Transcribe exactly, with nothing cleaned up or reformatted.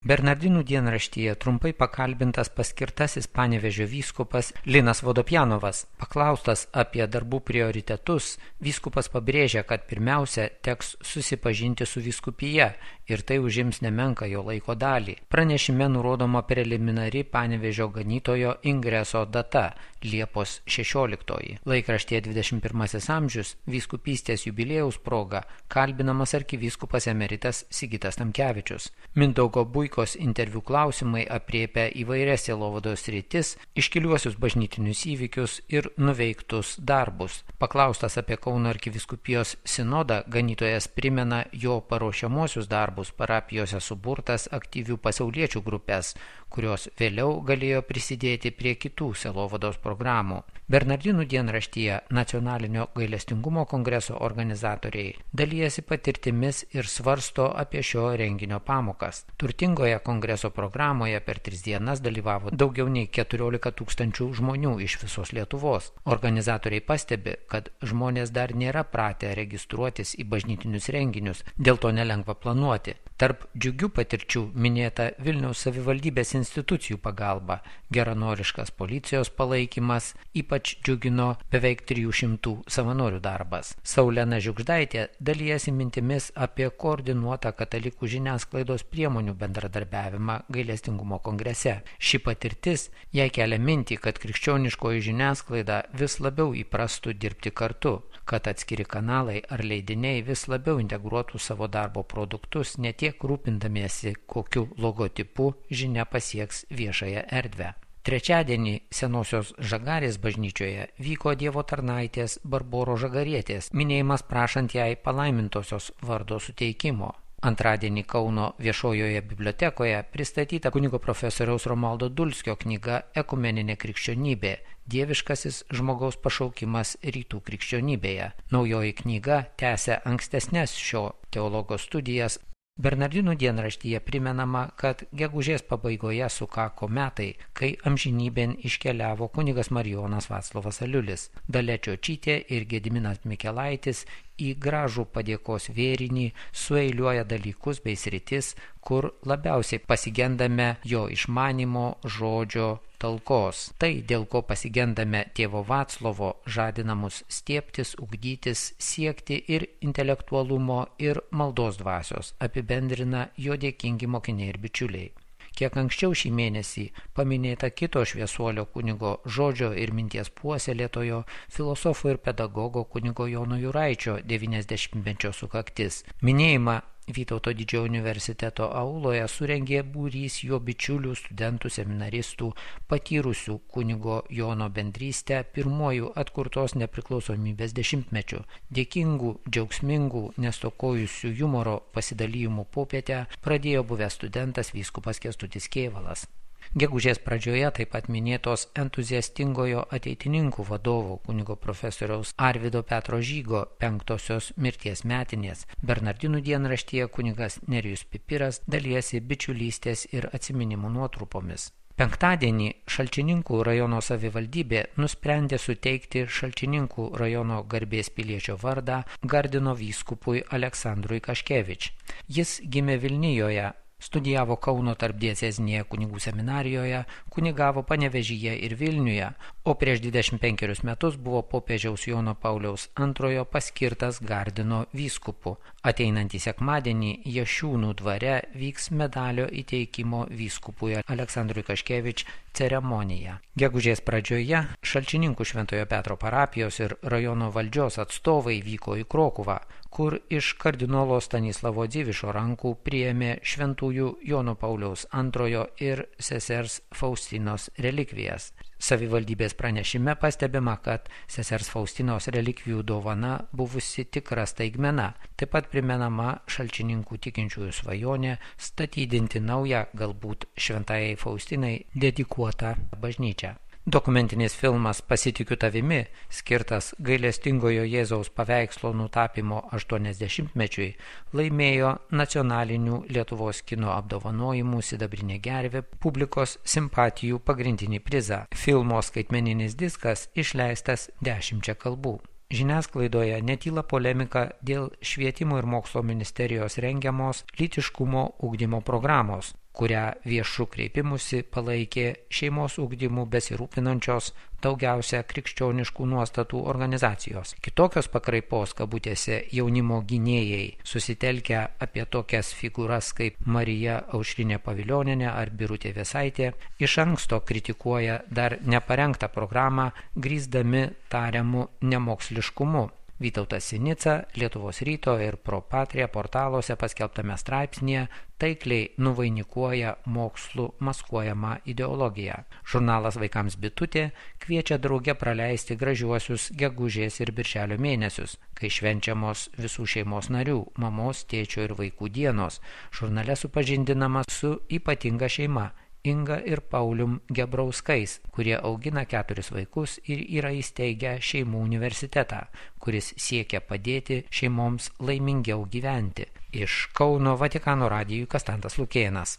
Bernardinų dienraštyje trumpai pakalbintas paskirtasis Panevėžio vyskupas Linas Vodopjanovas. Paklaustas apie darbų prioritetus, vyskupas pabrėžia, kad pirmiausia teks susipažinti su vyskupija ir tai užims nemenką jo laiko dalį. Pranešime nurodoma preliminari Panevėžio ganytojo ingreso data – Liepos šešioliktoji. Laikraštyje dvidešimt pirmasis amžius vyskupystės jubiliejaus proga kalbinamas arkivyskupas emeritas Sigitas Tamkevičius. Mindaugo Buikos interviu klausimai apriepia įvairias sielovados sritis, iškiliuosius bažnytinius įvykius ir nuveiktus darbus. Paklaustas apie Kauno arkivyskupijos sinodą, ganytojas primena jo paruošiamuosius darbus parapijose suburtas aktyvių pasauliečių grupės, kurios vėliau galėjo prisidėti prie kitų sielovados programų. Bernardinų dienraštyje Nacionalinio gailestingumo kongreso organizatoriai dalijasi patirtimis ir svarsto apie šio renginio pamokas. Turtingoje kongreso programoje per tris dienas dalyvavo daugiau nei keturiolika tūkstančių žmonių iš visos Lietuvos. Organizatoriai pastebi, kad žmonės dar nėra pratę registruotis į bažnytinius renginius, dėl to nelengva planuoti. Tarp džiugių patirčių minėta Vilniaus savivaldybės institucijų pagalba, geranoriškas policijos palaikymas, ypač džiugino beveik trijų šimtų savanorių darbas. Saulena Žiugždaitė dalijasi mintimis apie koordinuotą katalikų žiniasklaidos priemonių bendradarbiavimą gailestingumo kongrese. Ši patirtis jai kelia mintį, kad krikščioniškoji žiniasklaida vis labiau įprastų dirbti kartu, kad atskiri kanalai ar leidiniai vis labiau integruotų savo darbo produktus, ne tiek rūpindamiesi, kokiu logotipu žinia pasieks viešąją erdvę. Trečiadienį Senosios Žagarės bažnyčioje vyko Dievo tarnaitės Barboros Žagarietės minėjimas prašant jai palaimintosios vardo suteikimo. Antradienį Kauno viešojoje bibliotekoje pristatyta kunigo profesoriaus Romualdo Dulskio knyga Ekumeninė krikščionybė – dieviškasis žmogaus pašaukimas rytų krikščionybėje. Naujoji knyga tęsia ankstesnes šio teologo studijas. Bernardinų dienraštyje primenama, kad gegužės pabaigoje sukako metai, kai amžinybėn iškeliavo kunigas Marijonas Vaclovas Aliulis. Dalia Čiočytė ir Gediminas Mikelaitis į gražų padėkos vėrinį sueiliuoja dalykus bei sritis, kur labiausiai pasigendame jo išmanimo, žodžio, talkos. Tai, dėl ko pasigendame tėvo Vaclovo, žadina mus stiebtis, ugdytis, siekti ir intelektualumo, ir maldos dvasios, apibendrina jo dėkingi mokiniai ir bičiuliai. Kiek anksčiau šį mėnesį paminėta kito šviesuolio kunigo žodžio ir minties puoselėtojo, filosofo ir pedagogo kunigo Jono Juraičio devyniasdešimtmečio sukaktis. Minėjimą Vytauto Didžiojo universiteto auloje surengė būrys jo bičiulių, studentų, seminaristų, patyrusių kunigo Jono bendrystę pirmojų atkurtos nepriklausomybės dešimtmečių. Dėkingų, džiaugsmingų, nestokojusių humoro pasidalijimų popietę pradėjo buvęs studentas vyskupas Kęstutis Kėvalas. Gegužės pradžioje taip pat minėtos entuziastingojo ateitininkų vadovo kunigo profesoriaus Arvydo Petro Žygo penktosios mirties metinės. Bernardinų dienraštyje kunigas Nerijus Pipiras dalijasi bičiulystės ir atsiminimų nuotrupomis. Penktadienį Šalčininkų rajono savivaldybė nusprendė suteikti Šalčininkų rajono garbės piliečio vardą Gardino vyskupui Aleksandrui Kaškevič. Jis gimė Vilnijoje, studijavo Kauno tarpdiecezinėje kunigų seminarijoje, kunigavo Panevėžyje ir Vilniuje, o prieš dvidešimt penkerius metus buvo popiežiaus Jono Pauliaus antrojo paskirtas Gardino vyskupu. Ateinantį sekmadienį Jašiūnų dvare vyks medalio įteikimo vyskupui Aleksandrui Kaškevič ceremonija. Gegužės pradžioje Šalčininkų Šventojo Petro parapijos ir rajono valdžios atstovai vyko į Krokuvą, kur iš kardinolo Stanislavo Dzivišo rankų priėmė šventųjų Jono Pauliaus antrojo ir sesers Faustinos relikvijas. Savivaldybės pranešime pastebima, kad sesers Faustinos relikvijų dovana buvusi tikra staigmena. Taip pat primenama Šalčininkų tikinčiųjų svajonė statydinti naują, galbūt šventajai Faustinai dedikuotą bažnyčią. Dokumentinis filmas Pasitikiu tavimi, skirtas gailestingojo Jėzaus paveikslo nutapymo aštuoniasdešimtmečiui, laimėjo nacionalinių Lietuvos kino apdovanojimų Sidabrinė gervė publikos simpatijų pagrindinį prizą. Filmo skaitmeninis diskas išleistas dešimčia kalbų. Žiniasklaidoje netyla polemika dėl Švietimo ir mokslo ministerijos rengiamos lytiškumo ugdymo programos, kurią viešų kreipimusi palaikė šeimos ugdymu besirūpinančios daugiausia krikščioniškų nuostatų organizacijos. Kitokios pakraipos, kabutėse, jaunimo gynėjai susitelkę apie tokias figūras kaip Marija Aušrinė Pavilionienė ar Birutė Vėsaitė, iš anksto kritikuoja dar neparengtą programą, grįsdami tariamu nemoksliškumu. Vytautas Sinica Lietuvos ryto ir Pro Patria portaluose paskelbtame straipsnėje taikliai nuvainikuoja mokslų maskuojamą ideologiją. Žurnalas Vaikams Bitutė kviečia drauge praleisti gražiuosius gegužės ir birželio mėnesius, kai švenčiamos visų šeimos narių, mamos, tėčio ir vaikų dienos. Žurnale supažindinama su ypatinga šeima Inga ir Paulium Gebrauskais, kurie augina keturis vaikus ir yra įsteigę šeimų universitetą, kuris siekia padėti šeimoms laimingiau gyventi. Iš Kauno Vatikano radijui Kastantas Lukėnas.